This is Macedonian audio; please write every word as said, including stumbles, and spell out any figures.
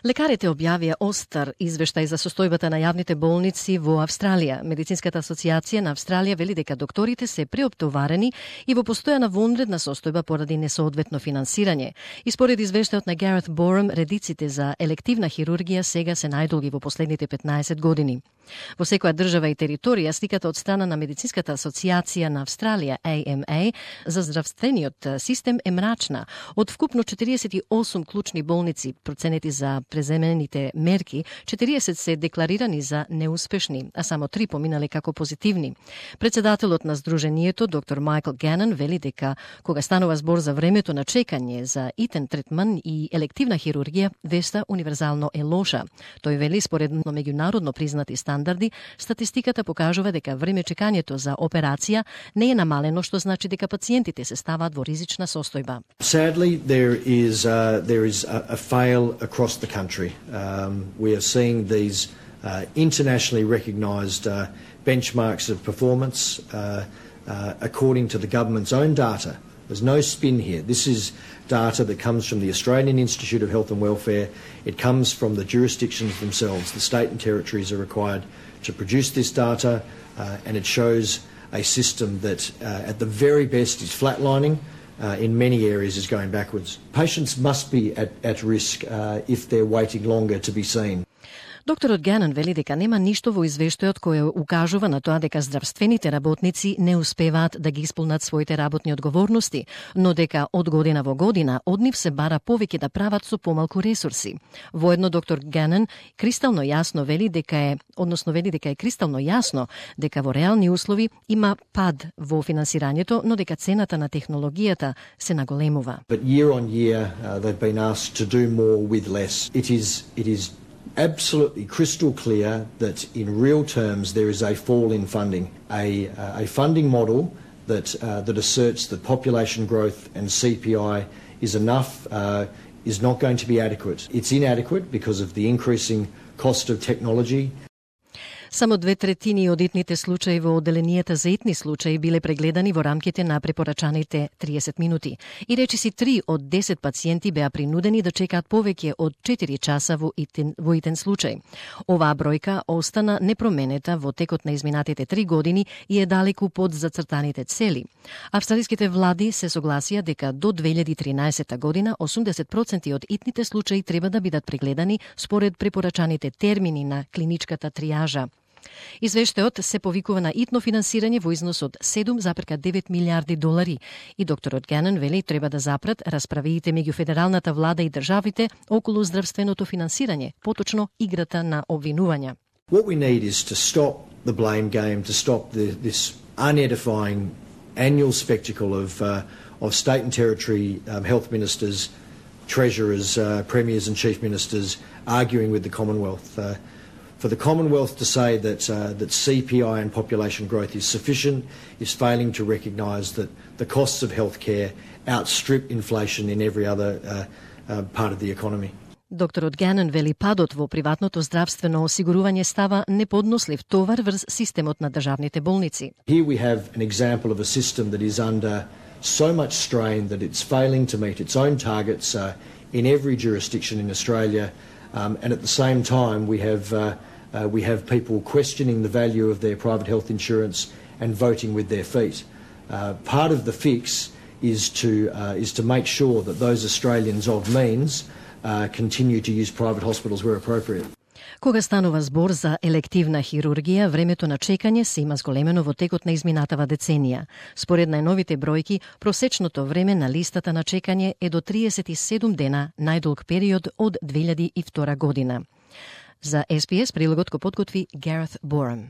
Лекарите објавија остар извештај за состојбата на јавните болници во Австралија. Медицинската асоциација на Австралија вели дека докторите се преоптоварени и во постојана вонредна состојба поради несоодветно финансирање. И според извештајот на Гарет Борам, редиците за елективна хирургија сега се најдолги во последните петнаесет години. Во секоја држава и територија сликата од страна на Медицинската асоциација на Австралија А М А за здравствениот систем е мрачна. Од вкупно четириесет и осум клучни болници проценети за преземените мерки, четириесет се декларирани за неуспешни, а само три поминале како позитивни. Председателот на Сдруженијето, доктор Майкл Ганан, вели дека кога станува збор за времето на чекање за итен третман и елективна хирургија, веста универзално е лоша. Тој вели според меѓународно признати стандарди, статистиката покажува дека време чекањето за операција не е намалено, што значи дека пациентите се ставаат во ризична состојба. Sadly, there is uh, there is a, a fail across the country. Um, we are seeing these uh, internationally recognised uh, benchmarks of performance uh, uh, according to the government's own data. There's no spin here. This is data that comes from the Australian Institute of Health and Welfare. It comes from the jurisdictions themselves. The state and territories are required to produce this data, uh, and it shows a system that uh, at the very best is flatlining, uh, in many areas is going backwards. Patients must be at, at risk uh, if they're waiting longer to be seen. Докторот Ганан вели дека нема ништо во извештајот кој укажува на тоа дека здравствените работници не успеваат да ги исполнат своите работни одговорности, но дека од година во година од нив се бара повеќе да прават со помалку ресурси. Воедно доктор Ганан кристално јасно вели дека е, односно вели дека е кристално јасно дека во реални услови има пад во финансирањето, но дека цената на технологијата се наголемува. But year on year uh, they've been asked to do more with less. It is it is absolutely crystal clear that in real terms there is a fall in funding. A, uh, a funding model that, uh, that asserts that population growth and C P I is enough uh, is not going to be adequate. It's inadequate because of the increasing cost of technology. Само две третини од итните случаи во одделенијата за итни случаи биле прегледани во рамките на препорачаните триесет минути. И речиси три од десет пациенти беа принудени да чекаат повеќе од четири часа во итен, во итен случај. Оваа бројка остана непроменета во текот на изминатите три години и е далеку под зацртаните цели. Австралиските влади се согласија дека до две илјади и тринаесета година осумдесет проценти од итните случаи треба да бидат прегледани според препорачаните термини на клиничката триажа. Извештајот се повикува на итно финансирање во износ од седум запирка девет милијарди долари и докторот Ганан вели треба да запрат расправиите меѓу федералната влада и државите околу здравственото финансирање, поточно играта на обвинувања. What we need is to stop the blame game, to stop the, this unedifying annual spectacle of uh, of state and territory um, health ministers, treasurers, uh, premiers and chief ministers arguing with the Commonwealth. Uh, For the Commonwealth to say that uh, that C P I and population growth is sufficient is failing to recognise that the costs of healthcare outstrip inflation in every other uh, uh, part of the economy. Докторот Ганан вели падот во приватното здравствено осигурување става неподнослив товар врз системот на државните болници. Here we have an example of a system that is under so much strain that it's failing to meet its own targets uh, in every jurisdiction in Australia. Um, and at the same time, we have uh, uh, we have people questioning the value of their private health insurance and voting with their feet. Uh, part of the fix is to uh, is to make sure that those Australians of means uh, continue to use private hospitals where appropriate. Кога станува збор за елективна хирургија, времето на чекање се има зголемено во текот на изминатава деценија. Според најновите бројки, просечното време на листата на чекање е до триесет и седум дена, најдолг период од две илјади и втора година. За С П С прилогот го подготви Гарет Борам.